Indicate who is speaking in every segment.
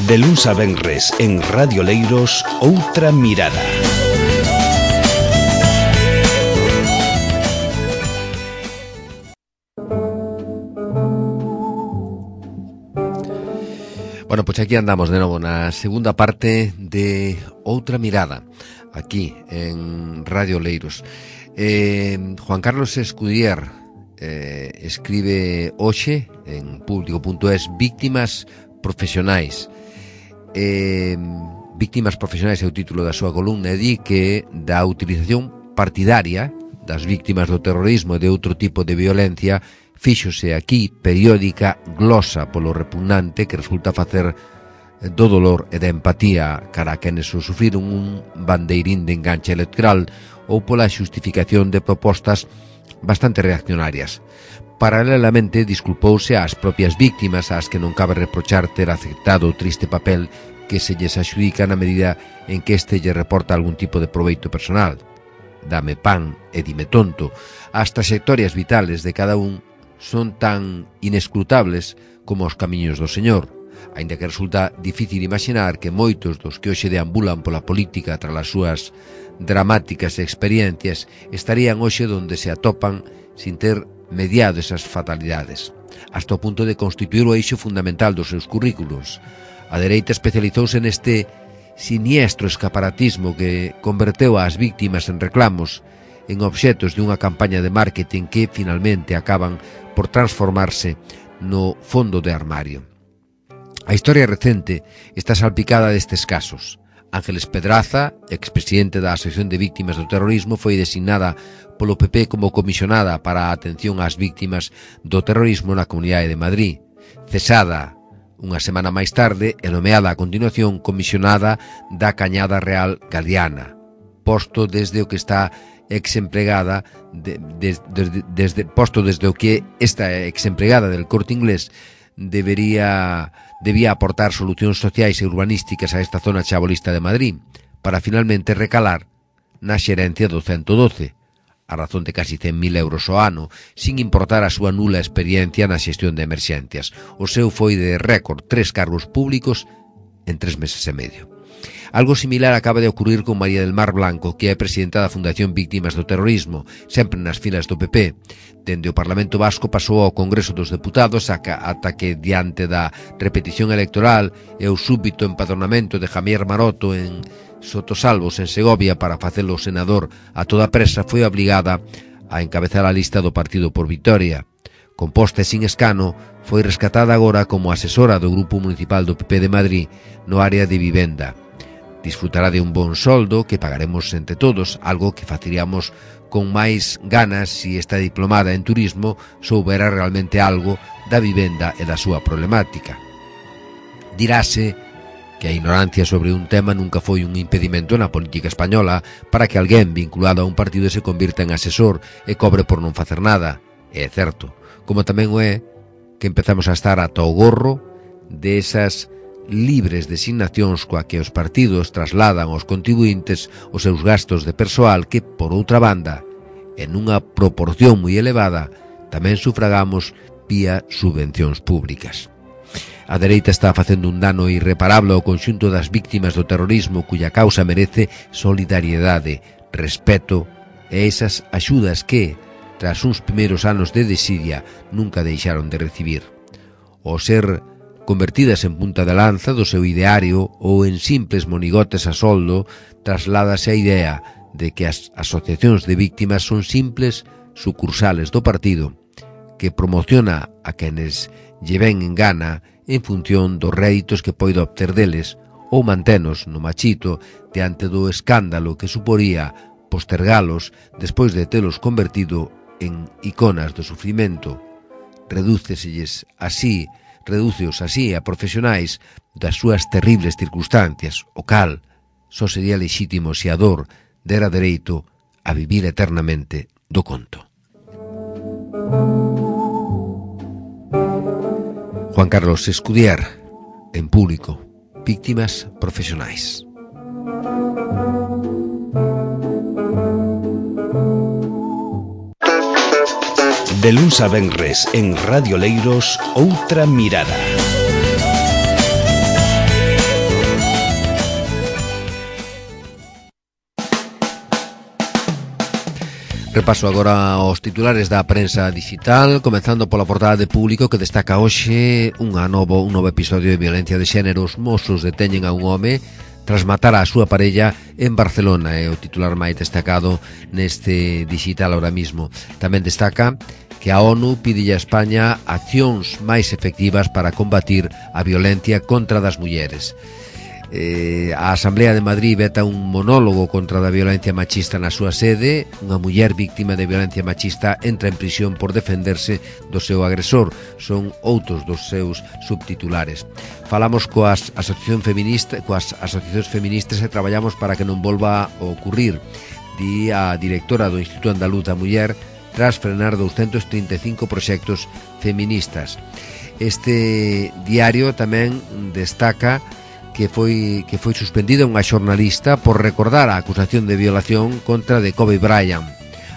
Speaker 1: De luns a venres en Radio Leiros, Outra Mirada.
Speaker 2: Bueno, pois aquí andamos de novo na segunda parte de Outra Mirada, aquí en Radio Leiros. Juan Carlos Escudier escribe hoxe en público.es Víctimas Profesionais. Víctimas Profesionais é o título da súa columna, e di que da utilización partidaria das víctimas do terrorismo e de outro tipo de violencia fíxose aquí periódica glosa polo repugnante que resulta facer do dolor e da empatía cara a quenes o sufriron un bandeirín de enganche electoral ou pola xustificación de propostas bastante reaccionarias. Paralelamente disculpouse ás propias víctimas ás que non cabe reprochar ter aceptado o triste papel que se lles axudica na medida en que este lle reporta algún tipo de proveito personal. Dame pan e dime tonto. As trayectorias vitales de cada un son tan inescrutables como os camiños do Señor, aínda que resulta difícil imaginar que moitos dos que hoxe deambulan pola política tras as súas dramáticas experiencias estarían hoxe donde se atopan sin ter mediado esas fatalidades, hasta o punto de constituir o eixo fundamental dos seus currículos. A dereita especializouse neste siniestro escaparatismo que converteu ás víctimas en reclamos, en obxetos de unha campaña de marketing que finalmente acaban por transformarse no fondo de armario. A historia recente está salpicada destes casos. Ángeles Pedraza, expresidente da Asociación de Víctimas do Terrorismo, foi designada polo PP como comisionada para a atención ás víctimas do terrorismo na Comunidade de Madrid. Cesada unha semana máis tarde e nomeada a continuación comisionada da Cañada Real Galiana, posto desde o que está exempregada desde o que esta exempregada del Corte Inglés debía aportar solucións sociais e urbanísticas a esta zona chabolista de Madrid, para finalmente recalar na xerencia do 112, a razón de casi 100.000 euros ao ano, sin importar a súa nula experiencia na xestión de emerxencias. O seu foi de récord 3 cargos públicos en 3 meses e medio. Algo similar acaba de ocurrir con María del Mar Blanco, que é presidenta da Fundación Víctimas do Terrorismo, sempre nas filas do PP. Dende o Parlamento Vasco pasou ao Congreso dos Deputados ata que, diante da repetición electoral e o súbito empadronamento de Javier Maroto en Sotosalvos, en Segovia, para facelo senador a toda presa, foi obligada a encabezar a lista do Partido por Vitoria. Composta e sin escano, foi rescatada agora como asesora do Grupo Municipal do PP de Madrid no área de vivenda. Disfrutará de un bon soldo que pagaremos entre todos, algo que faceríamos con máis ganas se esta diplomada en turismo soubera realmente algo da vivenda e da súa problemática. Dirase que a ignorancia sobre un tema nunca foi un impedimento na política española para que alguén vinculado a un partido se convirta en asesor e cobre por non facer nada. É certo, como tamén o é que empezamos a estar ata o gorro de esas libres designacións coa que os partidos trasladan aos contribuintes os seus gastos de persoal que, por outra banda, en unha proporción moi elevada, tamén sufragamos vía subvencións públicas. A dereita está facendo un dano irreparable ao conxunto das víctimas do terrorismo cuya causa merece solidariedade, respeto e esas axudas que, tras uns primeiros anos de desidia, nunca deixaron de recibir. O ser convertidas en punta de lanza do seu ideario ou en simples monigotes a soldo, trasládase a idea de que as asociacións de víctimas son simples sucursales do partido que promociona a quenes lle ven en gana en función dos réditos que poida obter deles ou mantenos no machito diante do escándalo que suporía postergalos despois de telos convertido en iconas do sufrimento. Redúceos así a profesionais das súas terribles circunstancias, o cal só sería lexítimo se a dor dera dereito a vivir eternamente do conto. Juan Carlos Escudier, en público, Víctimas Profesionais.
Speaker 1: De luns a venres en Radio Leiros, Outra Mirada.
Speaker 2: Repaso agora aos titulares da prensa digital, comenzando pola portada de Público, que destaca hoxe un novo episodio de violencia de xénero. Os mozos deteñen a un home tras matar a súa parella en Barcelona. É o titular máis destacado neste digital ahora mismo. Tamén destaca que a ONU pide a España accións máis efectivas para combatir a violencia contra das mulleres. A Asamblea de Madrid veta un monólogo contra a violencia machista na súa sede. Unha muller víctima de violencia machista entra en prisión por defenderse do seu agresor. Son outros dos seus subtitulares. Falamos coas asociacións feministas e traballamos para que non volva a ocurrir, di a directora do Instituto Andaluz da Muller, tras frenar 235 proxectos feministas. Este diario tamén destaca que foi suspendida unha xornalista por recordar a acusación de violación contra de Kobe Bryant.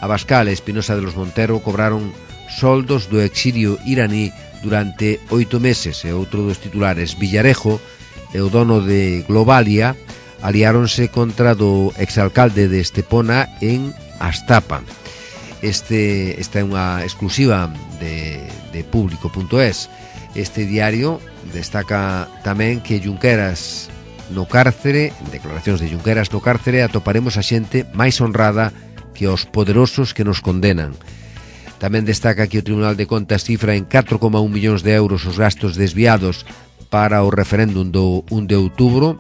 Speaker 2: Abascal e Espinosa de los Montero cobraron soldos do exilio iraní durante 8 meses. E outro dos titulares, Villarejo e o dono de Globalia aliáronse contra do exalcalde de Estepona en Astapa. Esta é unha exclusiva de Público.es. Este diario destaca tamén que Junqueras no cárcere, en declaracións de Junqueras no cárcere, atoparemos a xente máis honrada que os poderosos que nos condenan. Tamén destaca que o Tribunal de Contas cifra en 4,1 millóns de euros os gastos desviados para o referéndum do 1 de outubro.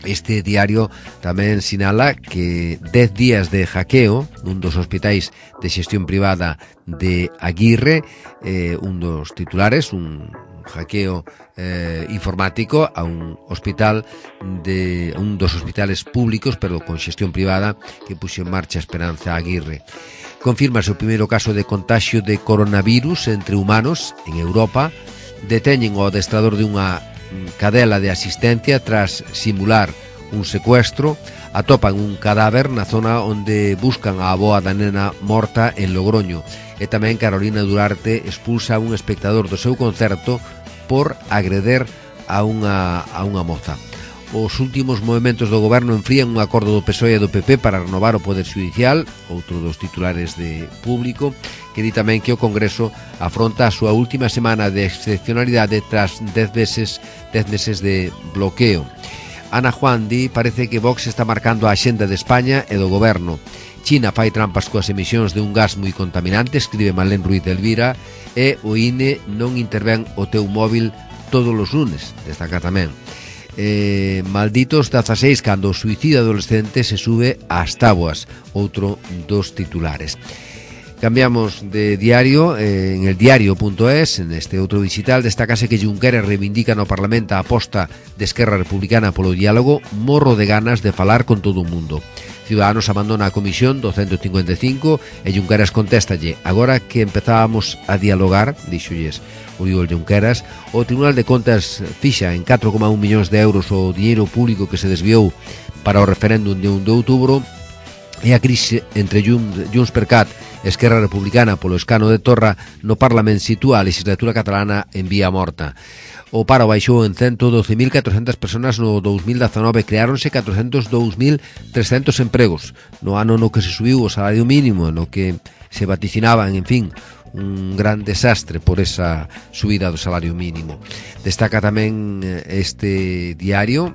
Speaker 2: Este diario tamén sinala que 10 días de hackeo nun dos hospitais de xestión privada de Aguirre, un dos titulares, un hackeo informático a un dos hospitales públicos, pero con xestión privada, que puxo en marcha Esperanza Aguirre. Confirmase o primeiro caso de contagio de coronavirus entre humanos en Europa. Deteñen o adestrador de unha cadela de asistencia tras simular un secuestro. Atopan un cadáver na zona onde buscan a avoa da nena morta en Logroño. E tamén Carolina Durarte expulsa a un espectador do seu concerto por agreder a unha moza. Os últimos movementos do goberno enfrían un acordo do PSOE e do PP para renovar o Poder Judicial, outro dos titulares de Público, que di tamén que o Congreso afronta a súa última semana de excepcionalidade tras 10 meses de bloqueo. Ana Juan di parece que Vox está marcando a axenda de España e do goberno. China fai trampas coas emisións de un gas moi contaminante, escribe Malén Ruiz de Elvira, e o INE non intervén o teu móvil todos os lunes, destaca tamén. Malditos 16 cando o suicida adolescente se sube ás táboas, outro dos titulares. Cambiamos de diario. En el diario.es, en este outro digital, destácase que Junqueras reivindica no Parlamento a aposta de Esquerra Republicana polo diálogo. Morro de ganas de falar con todo o mundo. Ciudadanos abandona a comisión do 155 e Junqueras contéstalle: agora que empezábamos a dialogar, dixolles Oriol Junqueras, o Tribunal de Contas fixa en 4,1 millóns de euros o diñeiro público que se desviou para o referéndum de 1 de outubro, e a crise entre Junts per Cat e Esquerra Republicana polo escano de Torra no Parlamento sitúa a legislatura catalana en vía morta. O paro baixou en 112.400 personas no 2019, creáronse 402.300 empregos. No ano no que se subiu o salario mínimo, no que se vaticinaban, en fin, un gran desastre por esa subida do salario mínimo. Destaca tamén este diario,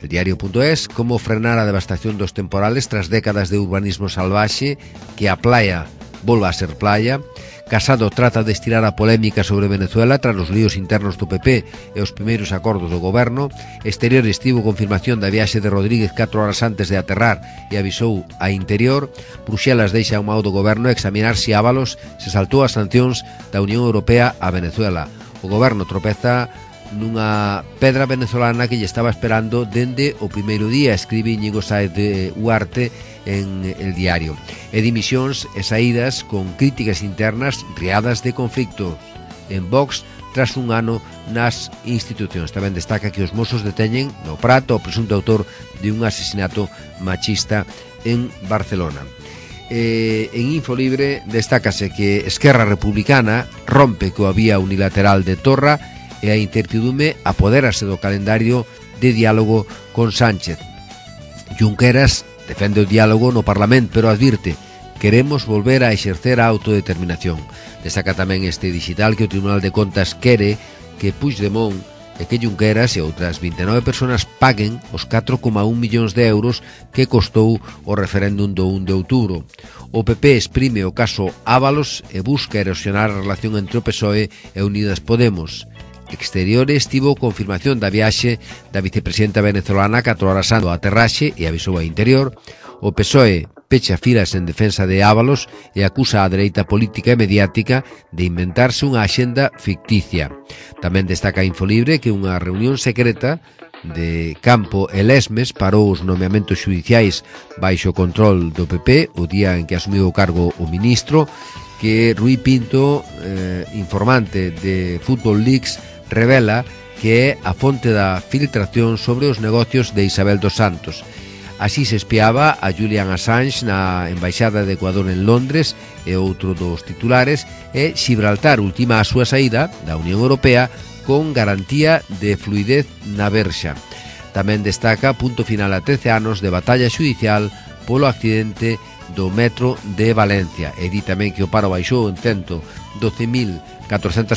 Speaker 2: el diario.es, como frenar a devastación dos temporales tras décadas de urbanismo salvaxe, que a playa volva a ser playa. Casado trata de estirar a polémica sobre Venezuela tras os líos internos do PP e os primeiros acordos do goberno. Exteriores tivo confirmación da viaxe de Rodríguez 4 horas antes de aterrar e avisou a Interior. Bruxelas deixa o mao do goberno examinar se Ábalos se saltou as sancións da Unión Europea a Venezuela. O goberno tropeza nunha pedra venezolana que lle estaba esperando dende o primeiro día, escribe Íñigo Sáez de Huarte en el diario. E dimisións e saídas con críticas internas riadas de conflicto en Vox tras un ano nas institucións. Tamén destaca que os mozos deteñen no Prat o presunto autor de un asesinato machista en Barcelona. En Infolibre destácase que Esquerra Republicana rompe coa vía unilateral de Torra e a incertidume apoderase do calendario de diálogo con Sánchez. Junqueras defende o diálogo no Parlamento, pero advirte queremos volver a exercer a autodeterminación. Destaca tamén este digital que o Tribunal de Contas quere que Puigdemont e que Junqueras e outras 29 persoas paguen os 4,1 millóns de euros que costou o referéndum do 1 de outubro. O PP exprime o caso Ábalos e busca erosionar a relación entre o PSOE e Unidas Podemos. Exteriores tivo confirmación da viaxe da vicepresidenta venezolana 4 horas antes do aterraxe e avisou a Interior. O PSOE pecha filas en defensa de Ábalos e acusa a dereita política e mediática de inventarse unha axenda ficticia. Tamén destaca Infolibre que unha reunión secreta de Campo e Lesmes parou os nomeamentos xudiciais baixo control do PP o día en que asumiu o cargo o ministro, que Rui Pinto, informante de Football Leaks, revela que é a fonte da filtración sobre os negocios de Isabel dos Santos. Así se espiaba a Julian Assange na Embaixada de Ecuador en Londres e outro dos titulares é Gibraltar ultima a súa saída da Unión Europea con garantía de fluidez na verxa. Tamén destaca punto final a 13 anos de batalla xudicial polo accidente do metro de Valencia. E di tamén que o paro baixou en 112.400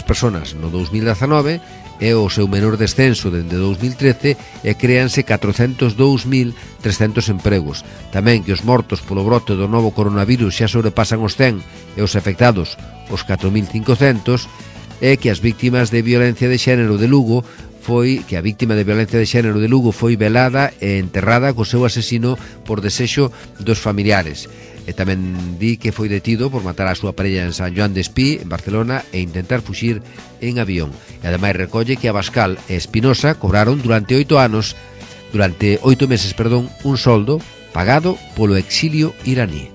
Speaker 2: personas no 2019 é o seu menor descenso dende 2013 e créanse 402.300 empregos. Tamén que os mortos polo brote do novo coronavirus xa sobrepasan os 100 e os afectados os 4.500 e que as víctimas de violencia de xénero de Lugo que a víctima de violencia de xénero de Lugo foi velada e enterrada co seu asesino por desexo dos familiares. E tamén di que foi detido por matar a súa parella en San Joan de Espí, en Barcelona, e intentar fuxir en avión. E ademais recolle que Abascal e Espinosa cobraron durante 8 meses, un soldo pagado polo exilio iraní.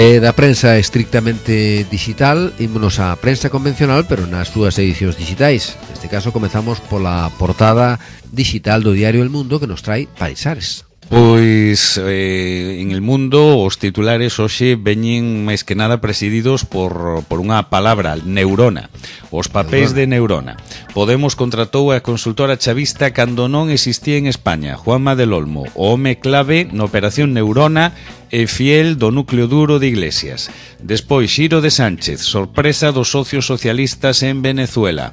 Speaker 2: Da prensa estrictamente digital, ímonos á prensa convencional, pero nas súas edicións digitais. Neste caso comezamos pola portada digital do diario El Mundo, que nos trae paisares.
Speaker 3: Pois en El Mundo os titulares hoxe veñen máis que nada presididos por unha palabra, neurona. Os papéis de Neurona. Podemos contratou a consultora chavista cando non existía en España. Juanma del Olmo, o home clave na operación Neurona e fiel do núcleo duro de Iglesias. Despois, Xiro de Sánchez, sorpresa dos socios socialistas en Venezuela.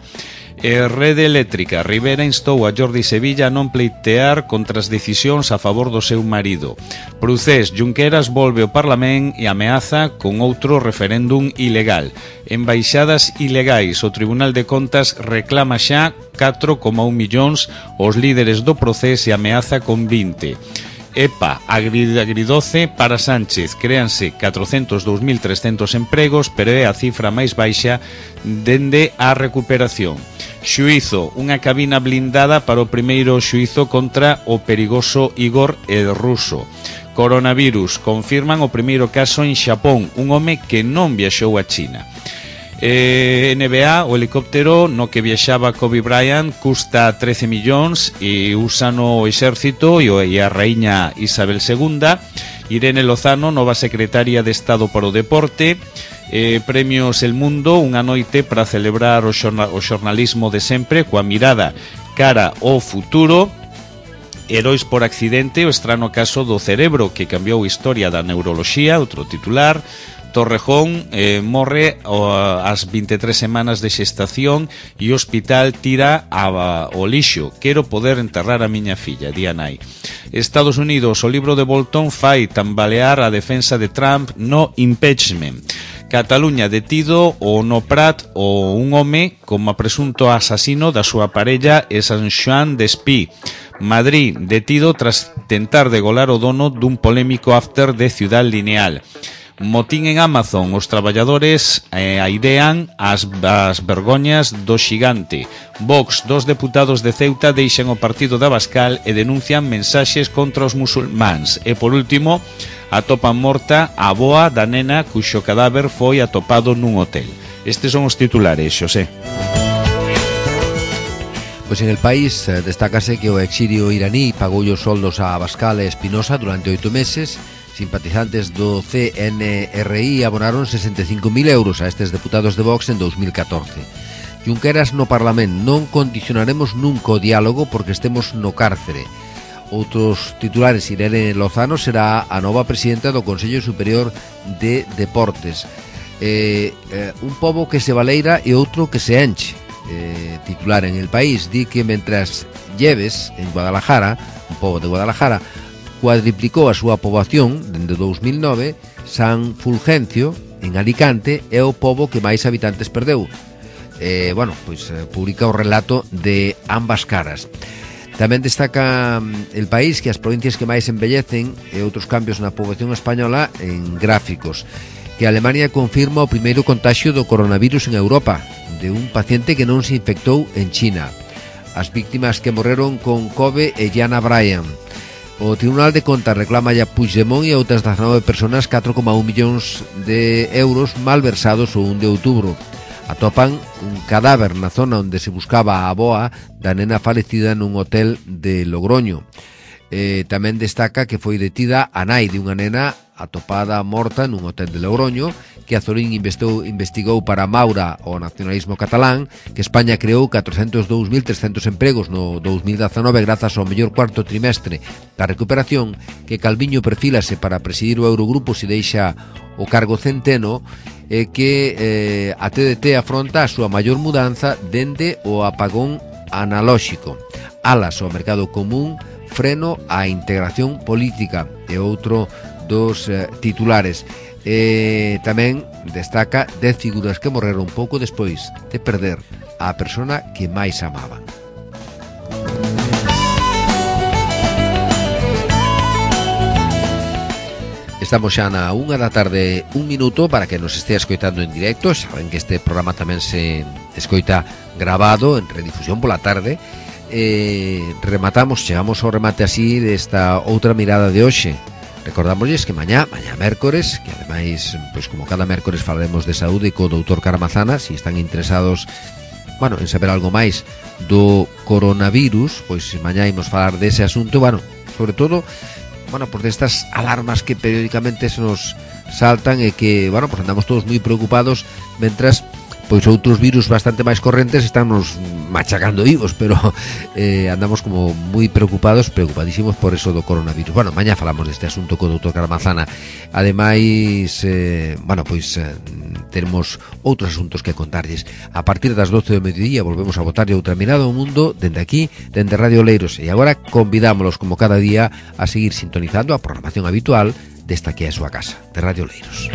Speaker 3: Rede Eléctrica, Rivera instou a Jordi Sevilla a non pleitear contra as decisións a favor do seu marido. Procés, Junqueras volve ao Parlamento e ameaza con outro referéndum ilegal. Embaixadas ilegais, o Tribunal de Contas reclama xa 4,1 millóns os líderes do Procés e ameaza con 20. EPA, agridoce para Sánchez, créanse 402.300 empregos, pero é a cifra máis baixa dende a recuperación. Xuízo, unha cabina blindada para o primeiro xuízo contra o perigoso Igor el Ruso. Coronavirus, confirman o primeiro caso en Xapón, un home que non viaxou a China. NBA, o helicóptero no que viaxaba Kobe Bryant custa 13 millóns e usan o exército e a raíña Isabel II. Irene Lozano, nova secretaria de Estado para o Deporte. Premios El Mundo, unha noite para celebrar o xornalismo de sempre coa mirada cara ao futuro. Heróis por accidente, o estrano caso do cerebro que cambiou a historia da neuroloxía, outro titular. Torrejón morre ás 23 semanas de xestación e o hospital tira o lixo. Quero poder enterrar a miña filla, di a nai. Estados Unidos, o libro de Bolton fai tambalear a defensa de Trump no impeachment. Cataluña, detido o no Prat un home como presunto asasino da súa parella e San Xoán de Espí. Madrid, detido tras tentar degolar o dono dun polémico after de Ciudad Lineal. Motín en Amazon, os traballadores airean as vergoñas do xigante. Vox, 2 deputados de Ceuta deixan o partido de Abascal e denuncian mensaxes contra os musulmáns. E por último, atopan morta a avoa da nena cuxo cadáver foi atopado nun hotel. Estes son os titulares, Xosé.
Speaker 2: Pois en El País destácase que o exilio iraní pagou os soldos a Abascal e Espinosa durante 8 meses. Simpatizantes do CNRI abonaron 65.000 euros a estes deputados de Vox en 2014. Junqueras no Parlamento: non condicionaremos nunca o diálogo porque estemos no cárcere. Outros titulares: Irene Lozano será a nova presidenta do Consello Superior de Deportes. Un pobo que se baleira e outro que se enche. Titular en El País di que mentras Lleves, en Guadalajara, un pobo de Guadalajara, cuadriplicou a súa poboación dende 2009, San Fulgencio, en Alicante, é o pobo que máis habitantes perdeu. Publica o relato de ambas caras. Tamén destaca El País que as provincias que máis envellecen e outros cambios na poboación española en gráficos. Que Alemania confirma o primeiro contagio do coronavirus en Europa, de un paciente que non se infectou en China. As víctimas que morreron con Kobe e Jana Bryan. O Tribunal de Contas reclama a Puigdemont e outras 19 personas 4,1 millóns de euros malversados o 1 de outubro. Atopan un cadáver na zona onde se buscaba a avoa da nena falecida nun hotel de Logroño. Tamén destaca que foi detida a nai de unha nena atopada morta nun hotel de Logroño, que Azorín investigou para Maura o nacionalismo catalán, que España creou 402.300 empregos no 2019 grazas ao mellor cuarto trimestre da recuperación, que Calviño perfílase para presidir o Eurogrupo se deixa o cargo centeno, e que a TDT afronta a súa maior mudanza dende o apagón analóxico. Alas ao mercado común, freno á integración política, e outro dos titulares. Tamén destaca 10 figuras que morreron pouco despois de perder a persona que máis amaban. Estamos xa na 1 da tarde, 1 minuto, para que nos estea escoitando en directo. Saben que este programa tamén se escoita grabado en redifusión pola tarde. Chegamos ao remate así desta outra mirada de hoxe. Recordámosles que mañá mércores, que ademais, pois como cada mércores falaremos de saúde co doutor Caramazana, se están interesados, en saber algo máis do coronavirus, pois mañá imos falar dese asunto, sobre todo, por destas alarmas que periódicamente se nos saltan e que, andamos todos moi preocupados, mentras pois outros virus bastante máis correntes están nos machacando vivos, pero andamos como moi preocupadísimos por eso do coronavirus. Mañá falamos deste asunto co doutor Caramazana. Ademais, teremos outros asuntos que contarlles. A partir das 12 do mediodía volvemos a botarlle outra mirada ao mundo dende aquí, dende Radio Leiros, e agora convidámolos como cada día a seguir sintonizando a programación habitual desta que é a súa casa, de Radio Leiros.